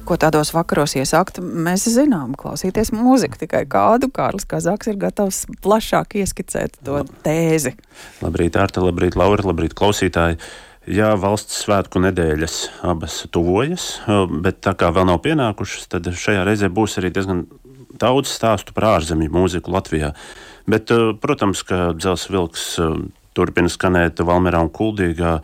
Ko tādos vakaros iesākt? Mēs zinām, klausīties mūziku, tikai kādu. Kārlis Kazaks ir gatavs plašāk ieskicēt to tēzi. Labrīt, Arta, labrīt, Laura, labrīt, klausītāji. Jā, valsts svētku nedēļas abas tuvojas, bet tā kā vēl nav pienākušas, tad šajā reizē būs arī diezgan daudz stāstu par ārzemju mūziku Latvijā. Bet, protams, ka Dzelzs vilks turpina skanēt Valmierā un Kuldīgā,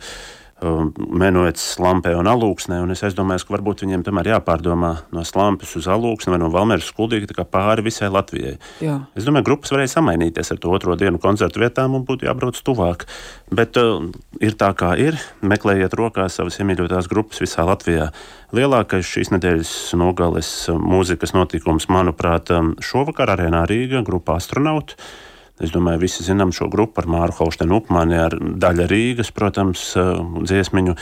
Menuets, Slampē un Alūksnē, un es aizdomājos, ka varbūt viņiem tomēr jāpārdomā no Slampes uz Alūksni vai no Valmieras uz Kuldīgu, tā kā pāri visai Latvijai. Jā. Es domāju, grupas varēja samainīties ar to otro dienu koncertu vietām un būtu jābrauc tuvāk. Bet ir tā kā ir, meklējiet rokās savas iemīļotās grupas visā Latvijā. Lielākais šīs nedēļas nogales mūzikas notikums, manuprāt, šovakar Arēnā Rīga, grupa Astronauti. Es domāju, visi zinām šo grupu ar Māru Holštenu Upmani, ar Daļa Rīgas, protams, dziesmiņu,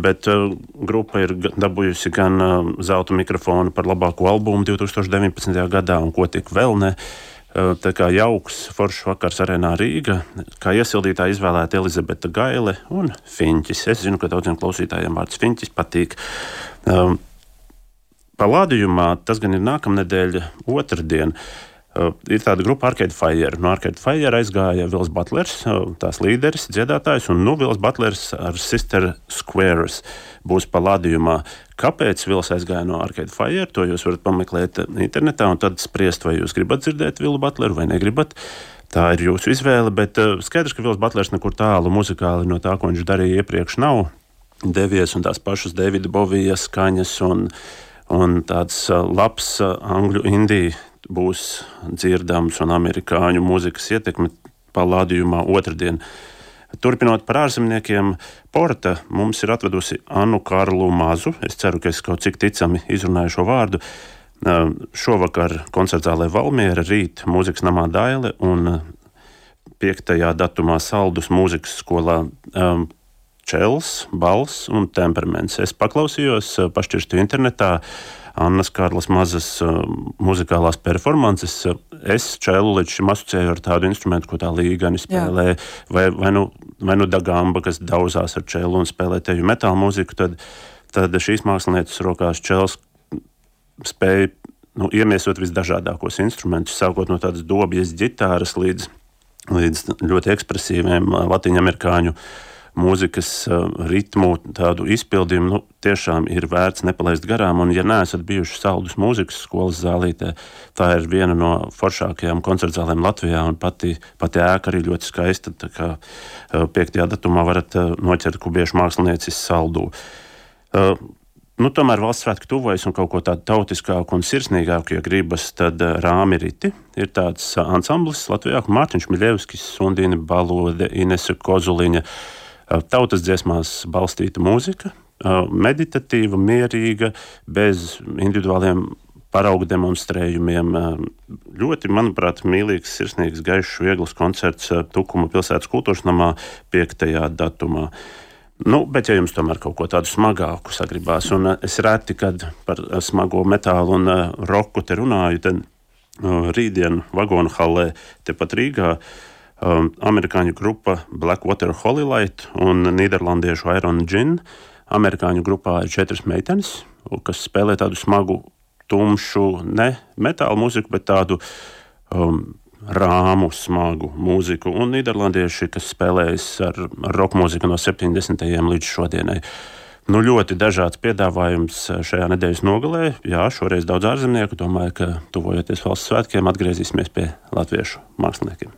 bet grupa ir dabūjusi gan zelta mikrofonu par labāko albumu 2019. gadā un ko tik vēl ne. Tā kā jauks, foršs vakars Arēnā Rīga, kā iesildītāja izvēlēta Elizabete Gaile un Fiņķis. Es zinu, ka daudziem klausītājiem vārds Fiņķis patīk. Palādījumā tas gan ir nākamnedēļ otrdien. Ir tāda grupa Arcade Fire. No Arcade Fire aizgāja Vils Butlers, tās līderis, dziedātājs, un Vils Butlers ar Sister Squares būs palādījumā. Kāpēc Vils aizgāja no Arcade Fire? To jūs varat pameklēt internetā un tad spriest, vai jūs gribat dzirdēt Vilu Butleru vai negribat. Tā ir jūsu izvēle, bet skaidrs, ka Vils Butlers nekur tālu muzikāli no tā, ko viņš darīja iepriekš, nav devies, un tās pašas Davida Bovija skaņas un tāds labs angļu indija būs dzirdams un amerikāņu mūzikas ietekme palādījumā otrdien. Turpinot par ārzemniekiem, Porta mums ir atvedusi Annu Karlu Mazu. Es ceru, ka es kaut cik ticami izrunāju šo vārdu. Šovakar koncertzālē Valmiera, rīt mūzikas namā Daile un 5. datumā Saldus mūzikas skolā Čels, Bals un Temperaments. Es paklausījos, pašķirstu internetā Annas Karlas Mazas muzikālās performances. Es čelu līdz šim asociēju ar tādu instrumentu, ko tā līgani spēlē, vai nu dagamba, kas dauzās ar čelu un spēlē teju metāla mūziku, tad šīs mākslinieces rokās čels spēja iemiesot visdažādākos instrumentus, sākot no tādas dobjas ģitāras līdz ļoti ekspresīviem latviņamerikāņu mūzikas ritmu, tādu izpildījumu, tiešām ir vērts nepalaist garām, un ja neesat bijuši Saldus mūzikas skolas zālītē, tā ir viena no foršākajām koncertzālēm Latvijā, un pati ēka arī ļoti skaista, tā kā 5. datumā varat noķert kubiešu māksliniecis Saldu. Tomēr valsts svētki tuvojas un kaut ko tādu tautiskāku un sirsnīgāku, ja gribas, tad Rāmi Riti ir tāds ansamblis Latvijā, Mārtiņš Miļevskis, Sundīna Balode, Inese Kozuliņa, tautas dziesmās balstīta mūzika, meditatīva, mierīga, bez individuāliem paraugu demonstrējumiem. Ļoti, manuprāt, mīlīgs, sirsnīgs, gaišs, viegls koncerts Tukuma pilsētas kultūras namā 5. datumā. Bet ja jums tomēr kaut ko tādu smagāku sagribās, un es reti, kad par smago metālu un roku te runāju, tad rītdien Vagonu hallē tepat Rīgā amerikāņu grupa Blackwater Holylight un nīderlandiešu Iron Gin. Amerikāņu grupā ir 4 meitenes, kas spēlē tādu smagu, tumšu, ne metāla mūziku, bet tādu rāmu, smagu mūziku. Un nīderlandieši, kas spēlējas ar rock mūziku no 70. līdz šodienai. Ļoti dažāds piedāvājums šajā nedēļas nogalē. Jā, šoreiz daudz ārzemnieku. Domāju, ka tuvojoties valsts svētkiem, atgriezīsimies pie latviešu māksliniekiem.